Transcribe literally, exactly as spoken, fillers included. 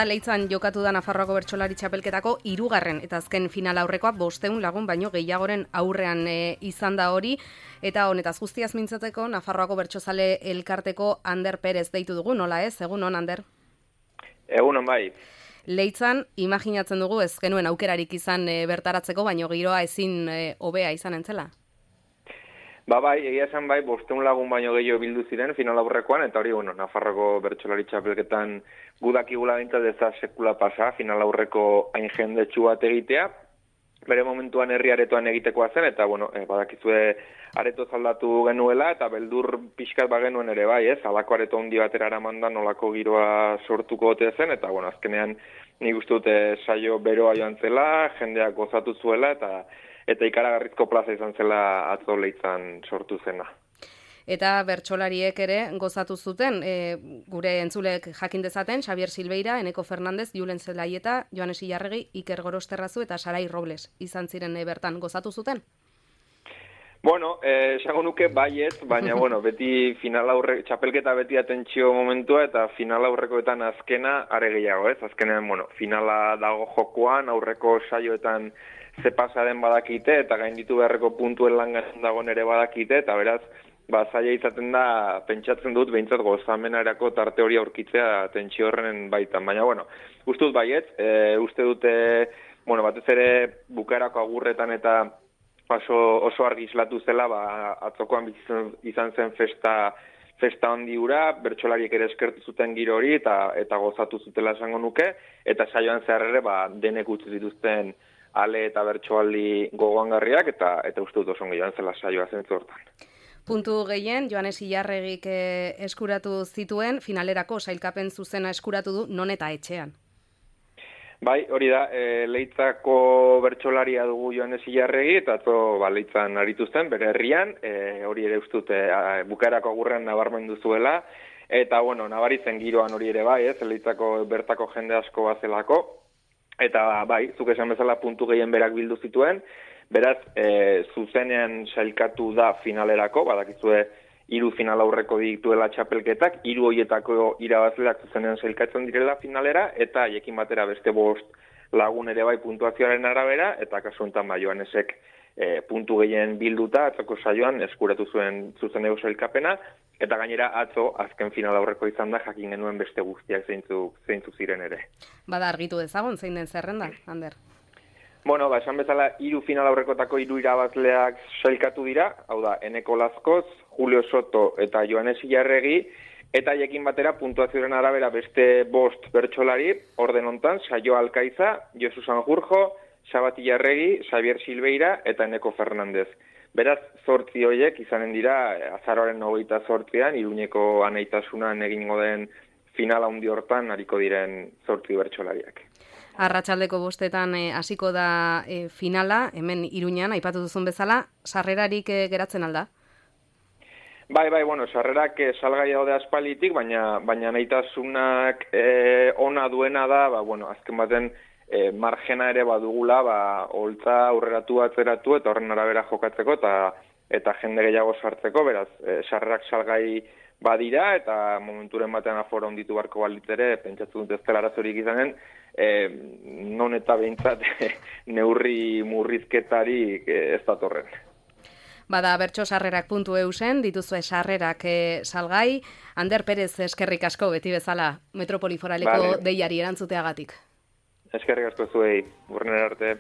Leitzan jokatu da Nafarroako bertsolari txapelketako hirugarren eta azken final aurrekoa bostehun lagun baino gehiagoren aurrean e, izan da hori, eta honetaz guztiaz mintzateko Nafarroako bertsozale elkarteko Ander Perez deitu dugu, nola ez? Egun on, Ander? Egun on bai. Leitzan, imaginatzen dugu ez genuen aukerarik izan e, bertaratzeko, baino giroa ezin e, hobea izan entzela? Ba bai, egia esan bai, bostehun lagun baino gehiago bildu ziren final aurrekoan, eta hori, bueno, Nafarroko bertsolari txapelketan gudakigula bintzat ez da sekula pasa, final aurreko hain jendetsu bat egitea, bere momentuan herri aretoan egitekoa zen, eta, bueno, eh, badakizue areto zaldatu genuela, eta beldur pixkat bagenuen ere bai, ez, alako areto handi batera eraman da nolako giroa sortuko ote zen, eta, bueno, azkenean nik uste dute saio beroa joan zela, jendeak gozatu zuela, eta eta ikaragarrizko plaza izan zela atzo Leitzan sortu zena. Eta bertsolariek ere gozatu zuten, e, gure entzulek jakin dezaten, Xabier Silveira, Eneko Fernandez, Julen Zelaieta, Joanes Ilarregi, Iker Gorosterrazu eta Sarai Robles izan ziren e, bertan gozatu zuten? Bueno, esango eh, nuke baiet, baina bueno, beti final aurre, txapelketa beti atentzio momentua eta final aurrekoetan azkena are gehiago, ez? Azkenean, bueno, finala dago jokoan, aurreko saioetan ze pasa den badakite eta gainditu beharreko puntuen langan dagoen ere badakite, eta beraz, ba, zaila izaten da, pentsatzen dut, behintzat gozamenarako tarte hori aurkitzea tentsio horren baitan. Baina, bueno, uste dut baiet, e, uste dute, bueno, batez ere bukaerako agurretan eta oso, oso argi islatu zela, ba, atzokoan izan, izan zen festa festa handi hura, bertsolariek ere eskertu zuten giro hori eta eta gozatu zutela esango nuke, eta saioan zehar ere, ba, denek utzi dituzten ale eta bertsoaldi gogoangarriak, eta eta uste dut oso joan zela saioa zentzu hortan. Puntu gehien, Joanes Ilarregik eskuratu zituen, finalerako sailkapen zuzena eskuratu du, non eta etxean. Bai, hori da, e, Leitzako bertsolaria dugu Joanes Ilarregi, eta atzo ba, Leitzan aritu zen, bere herrian, e, hori ere uste dute bukaerako agurrean nabarmendu zuela, eta bueno, nabaritzen giroan hori ere bai, ez, Leitzako bertako jende asko bazelako, eta bai, zuk esan bezala puntu gehien berak bildu zituen, beraz, e, zuzenean sailkatu da finalerako, badakizue hiru final aurreko dituela txapelketak, hiru horietako irabazleak zuzenean sailkatzen direla finalera, eta haiekin batera beste bost lagun ere bai puntuazioaren arabera, eta kasu honetan ba, Joanesek e, puntu gehien bilduta, atzoko saioan eskuratu zuen zuzeneko sailkapena, eta gainera atzo azken final aurreko izan da jakin genuen beste guztiak zeintzu, zeintzu ziren ere. Bada argitu dezagun, zein den zerrenda, Ander? Bueno, ba, esan bezala, hiru final aurrekotako hiru irabazleak sailkatu dira, hau da, Eneko Lazkoz, Julio Soto eta Joanes Ilarregi, eta haiekin batera puntuazioaren arabera beste bost bertsolari, orden hontan, Saio Alkaiza, Josu Sanjurjo, Xabat Ilarregi, Xabier Silveira eta Eneko Fernandez. Beraz, zortzi horiek izanen dira, azaroaren hogeita zortzian, Iruñeko aneitasunan egingo den final handi hortan hariko diren zortzi bertsolariak. Arratsaldeko bostetan hasiko e, da e, finala, hemen Iruñan, aipatu duzun bezala, sarrerarik e, geratzen alda? Bai, bai, bueno, sarrerak e, salgai daude aspalitik, baina baina nahitasunak e, ona duena da, ba, bueno, azken baten e, margena ere badugula, ba, holtza aurreratu atzeratu eta horren arabera jokatzeko eta eta jende gehiago sartzeko, beraz, e, sarrerak salgai badira eta momenturen batean aforo onditu barko balitzere, pentsatzen dut ez dela arazorik izanen, e, non eta behintzat neurri murrizketarik ez datorren. Bada bertso sarrerak puntu eusen, dituzue sarrerak e, salgai. Ander Perez eskerrik asko beti bezala Metropoli Foraleko vale. Deiari erantzuteagatik. Eskerrik asko zuei, urrenera arte.